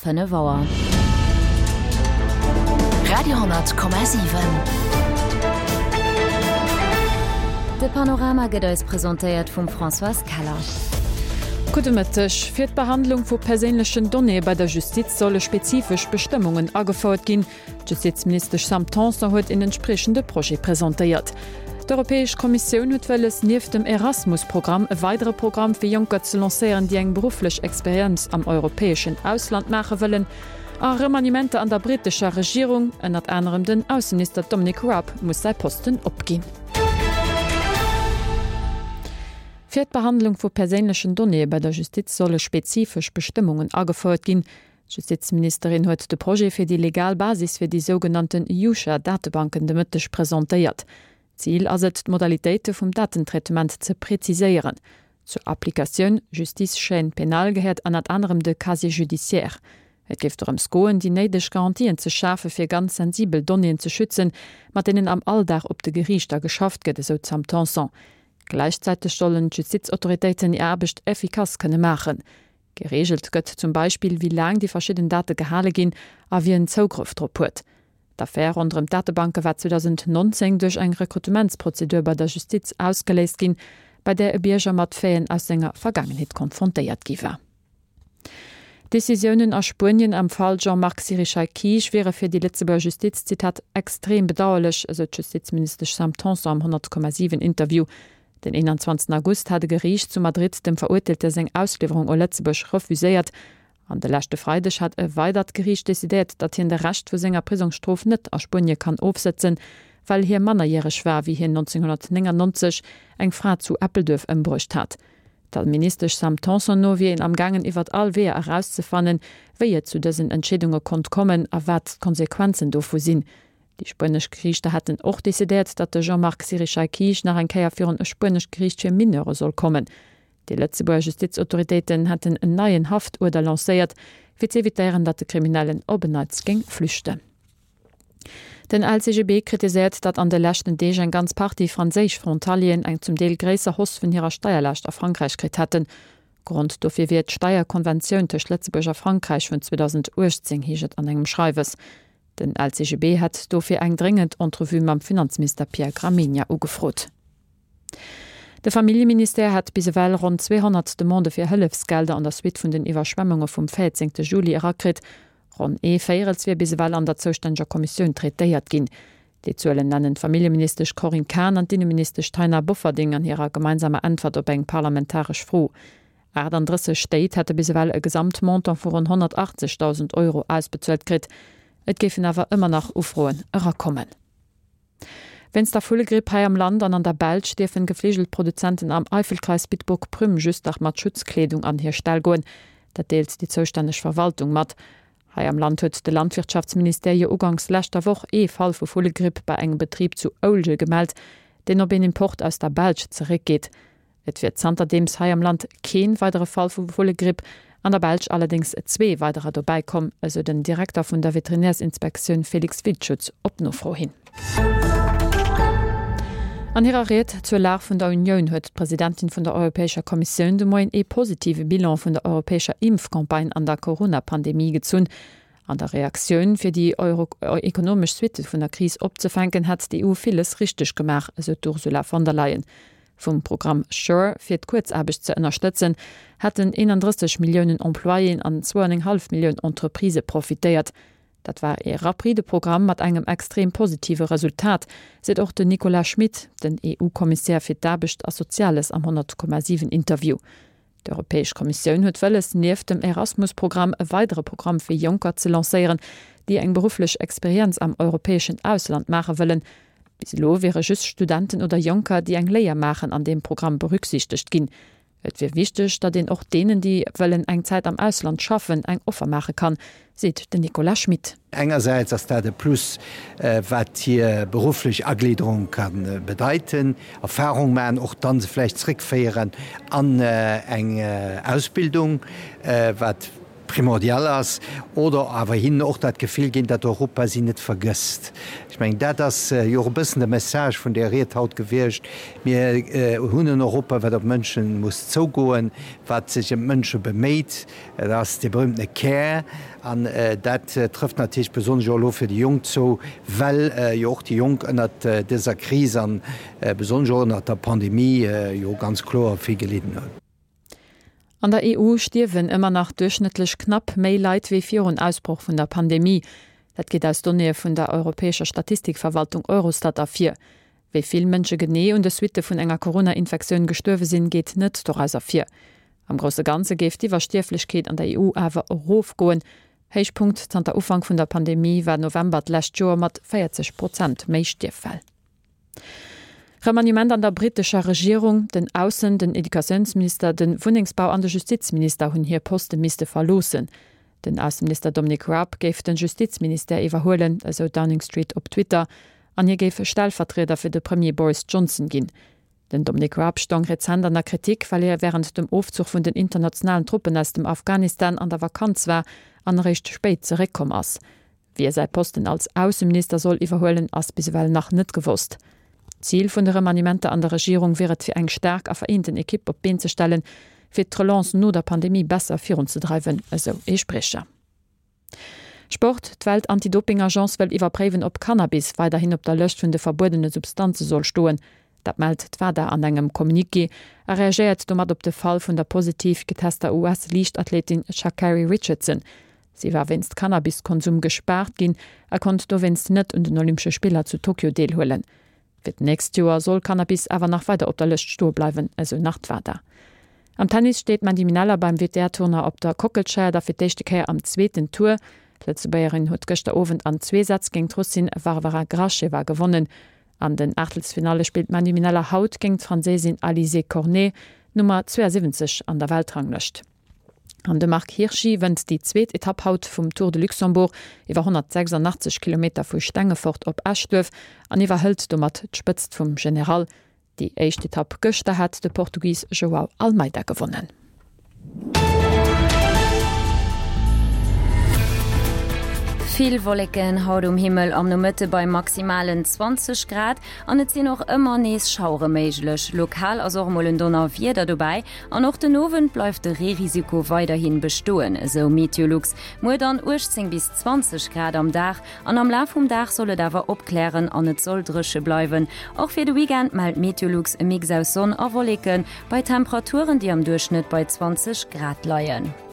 5 Auer. Radio,7. De Panorama gëtt eis presentéiert vum Françoise Keller. Gudde Mëtteg. Fir d'Behandlung vu perséinlechen Donnéeë bei der Justiz solle spezifesch Bestëmmungen agefouert ginn. D'Justizministesch Sam Tanson huet een entspriechende Projet presentéiert. D'Europäesch Kommissioun huet wëlles, nieft dem Erasmus-Programm e weidere Programm fir Jonker ze lancéieren, déi eng berufflech Experienz am europäeschen Ausland maache wëllen. A Remaniementer an der brittescher Regierung, ënnert anerem den Ausseminister Dominic Raab muss säi Posten opginn. Fir d'Behandlung vu perséinlechen Donnéeë bei der Justiz solle spezifesch Bestëmmungen agefouert ginn. D'Justizministerin huet de Projet fir déi legal Basis fir déi sougenannten JUCHA-Datebanken de Mëtteg presentéiert. Zil ass et, d'Modalitéite vum Datentraitement ze preziséieren. Zur Applikatioun Justice chaîne pénale gehéiert ënnert anerem de Casier judiciaire. Et géif dorëms goen, déi néideg Garantien ze schafe fir ganz sensibel Donnéeën ze schützen, mat deenen am Alldag op de Geriichter geschafft gëtt, esou d'Sam Tanson. Gläichzäiteg sollen d'Justizautoritéiten hir Aarbecht effikass kënne maachen. Gereegelt gëtt zum Beispill, wéi laang déi verschidden Date gehale ginn a wien Zougrëff drop huet. D'Affär ronderëm d'Datebanke war 2019 duerch eng Rekrutementsprozedur bei der Justiz ausgeléist ginn, bei där e Bierger mat Faiten aus senger Vergaangenheet konfrontéiert gi war. D'Decisiounen a Spuenien am Fall Jean-Marc Sirichai-Kiig wiere fir déi Lëtzebuerger Justiz, Zitat, extrem bedauerlech, esou d'Justizministesch Sam Tanson am 100,7 Interview. Den 21 August hat e Geriicht zu Madrid dem Verurteelte seng Ausliwwerung u Lëtzebuerg refuséiert. An de leschte Freideg hat e weidert Geriicht decidéiert, datt hien de Rescht vu senger Prisongsstrof net a Spuenie kann ofsëtzen, well hie mannerjäreg war, wéi hien 1999 eng Fra zu Eppelduerf ëmbruecht hat. Der Ministesch Sam Tanson no wier een am gaangen iwwert all Weeër erauszefannen, wéi et zu dësen Entscheedunge konnt kommen a wat d'Konsequenzen dovu sinn. Déi spuenesch Geriichter hätten och decidéiert, datt de Jean-Marc Sirichai-Quij nach eng Kéier virun e spuenescht Geriicht fir Mineure soll kommen. Déi Lëtzebuerger Justizautoritéiten hätten en neien Haftuerder lancéiert, fir z'evitéieren, datt de Kriminellen op en Neits géing flüchten. Den LCGB kritiséiert, datt an de leschten Deeg eng ganz Partie franséisch Frontalieren eng zum Deel gréisser Hausse vun hirer Steierlaascht a Frankräich kritt hätten. Grond dofir wier d'Steierkonventioun tëscht Lëtzebuerg a Frankräich vun 2018, heescht et an engem Schreiwes. Den LCGB hätt dofir eng dréngend Entrevue mam Finanzminister Pierre Gramegna ugefrot. De Familljeministère hätt bis ewell ronn 200 Demandë fir Hëllefsgelder an der Suite vun den Iwwerschwemmunge vum 14 Juli erakritt. Ronn ee Véierels wier bis ewell an der zoustänneger Kommissioun traitéiert ginn. Déi Zuelen nennen d'Familljeministesch Corinne Cahen an d'Inneministesch Taina Bofferding an hirer gemeinsamer Äntwert op eng parlamentaresch Fro. 38 Stéit hätte bis ewell e Gesamtmontant vu ronn 180.000 Euro ausbezuelt kritt. Et géifen awer ëmmer nach Ufroen erakommen. Wéinst der Vullegripp hei am Land an an der Belsch dierfen Gefligelproduzenten am Eifelkreis Bitburg-Prüm just nach mat Schutzkleedung an hir Ställ goen. Dat deelt déi zoustänneg Verwaltung mat. Hei am Land huet de Landwirtschaftsministère jo uganks leschter Woch ee Fall vu Vullegripp bei engem Betrib zu Oulje gemellt, deen op een Import aus der Belsch zeréckgeet. Et wier zanterdeems hei am Land kee weidere Fall vu Vullegripp, an der Belsch allerdéngs zwee weiderer dobäi komm, esou den Direkter vun der Veterinärsinspektioun Felix Wildschutz op Nofro hin. An hirer Ried zur Lag vun der Unioun huet d'Presidentin vun der Europäescher Kommissioun de Moien ee positive Bilan vun der europäescher Impfcampagne an der Corona-Pandemie gezunn. An der Reaktioun, fir déi ekonomesch Suitte vun der Kris opzefänken, hätt d'EU villes richteg gemaach, esou d'Ursula von der Leyen. Vum Programm Sure fir d'Kuerzaarbecht ze ënnerstëtzen, hätten 31 Milliounen Employéen an 2,5 Millioun Entreprisë profitéiert. Dat war ee rapride Programm mat engem extrem positive Resultat, seet och den Nicolas Schmit, den EU-Kommissär fir d'Aarbecht a Soziales am 100,7 Interview. D'Europäesch Kommissioun huet wëlles, nieft dem Erasmus-Programm e weidere Programm fir Jonker ze lancéieren, déi eng berufflech Experienz am europäeschen Ausland maache wëllen. Bis elo wiere just Studenten oder Jonker, déi eng Léier maachen, an deem Programm berücksichtegt ginn. Et wier wichteg, datt een och deenen, déi wëllen eng Zäit am Ausland schaffen, eng Offer maache kann, seet den Nicolas Schmit. Engersäits ass dat e Plus, wat hir berufflech Agliederung ka bedeiten, Erfahrung maachen, och dann se vläicht zréckféieren an eng Ausbildung, wat. primordial ass, oder awer hinnen och dat Gefill ginn, datt Europa si net vergësst. Ech mengen, dat ass jo och e bëssen de Message vun där Ried haut gewiescht, Mir hunn en Europa, wat op d'Mënsche muss zougoen, wat sech ëm d'Mënsche beméit. Dat ass dee berühmtene Care. An dat trëfft natierlech besonnesch och elo fir déi Jonk zou, well jo och déi Jonk ënnert dëser Kris a besonnesch och ënnert der Pandemie jo ganz kloer vill gelidden hunn. An der EU stierwen ëmmer nach duerchschnëttlech knapp méi Leit wéi virun Ausbroch vun der Pandemie. Dat geet aus Donnéeë vun der europäescher Statistikverwaltung Eurostat ervir. Wéi vill Mënsche genee un de Suitte vun enger Corona-Infektioun gestuerwe sinn, geet net doraus ervir. Am grousse Ganze géif d'Iwwerstierflechkeet an der EU awer erofgoen. Héichpunkt zanter Ufank vun der Pandemie war November d'lescht Joer mat 40 Prozent méi Stierffäll. Remaniement an der brittescher Regierung, Den Aussen-, den Educatiounsminister, de Wunnengsbau an de Justizminister hunn hir Poste misste verloossen. Den Ausseminister Dominic Raab géif de Justizministère iwwerhuelen, esou Downing Street op Twitter, an hie géif Stellvertrieder fir de Premier Boris Johnson ginn. Den Dominic Raab stoung rezent an der Kritik, well hie wärend dem Ofzuch vun den internationalen Truppen aus dem Afghanistan an der Vakanz war an eréischt spéit zeréckkomm ass. Wie säi Posten als Ausseminister soll iwwerhuelen, ass bis ewell nach net gewosst. Zil vun de Remaniementer an der Regierung wier et fir eng staark a vereenten Ekipp op d'Been ze stellen, fir d'Relance no der Pandemie besser virunzedreiwen, esou ee Spriecher. Sport, D'Welt-Anti-Doping-Agence wëll iwwerpréiwen, ob Cannabis weiderhin op der Lëscht vun de verbuedene Substanze soll stoen. Dat mellt d'WADA an engem Communiqué a reagéiert domat op de Fall vun der positiv getester US-Liichtathletin Sha'Carri Richardson. Si war wéinst Cannabiskonsum gespaart ginn a konnt dowéinst net un den Olympesche Spiller zu Tokio deelhuelen. Fir d'nächst Joer soll Cannabis awer nach weider op der Lëscht stoe bleiwen, esou nach d'WADA. Am Tennis steet d'Mandy Minella beim WTA-Tournoi op der Kockelscheier da fir d'éischte Kéier am zweeten Tour. D'Lëtzebuergerin huet gëschter Owend an zwee Sätz géint d'Russin Varvara Gracheva gewonnen. An den Aachtelsfinalle spillt d'Mandy Minella haut géint d'Franséisin Alizé Cornet, Nummer 72 an der Weltranglëscht. An de Marc Hirschi wënnt déi zweet Etapp haut vum Tour de Luxembourg iwwer 186 Kilometer vu Stengefort op Eschduerf an iwwerhëlt domat d'Spëtzt vum General. Déi éischt Etapp gëschter hat de Portugis Joao Almeida gewonnen. Vill Wolleken haut um Himmel am Nomëtte bei maximalen 20 Grad an et sinn och ëmmer nees Schauere méiglech. Lokal ass och mol en Donnerwieder dobäi An och den Owend bleift de Reerisiko weiderhi bestoen, esou Meteolux. Muer dann 18 bis 20 Grad am Dag an am Laf vum Dag soll et awer opklären an et soll dréche bleiwen. Och fir de Weekend mellt Meteolux e Mix aus Sonn a Wolleke bei Temperaturen, déi am Duerchschnëtt bei 20 Grad leien.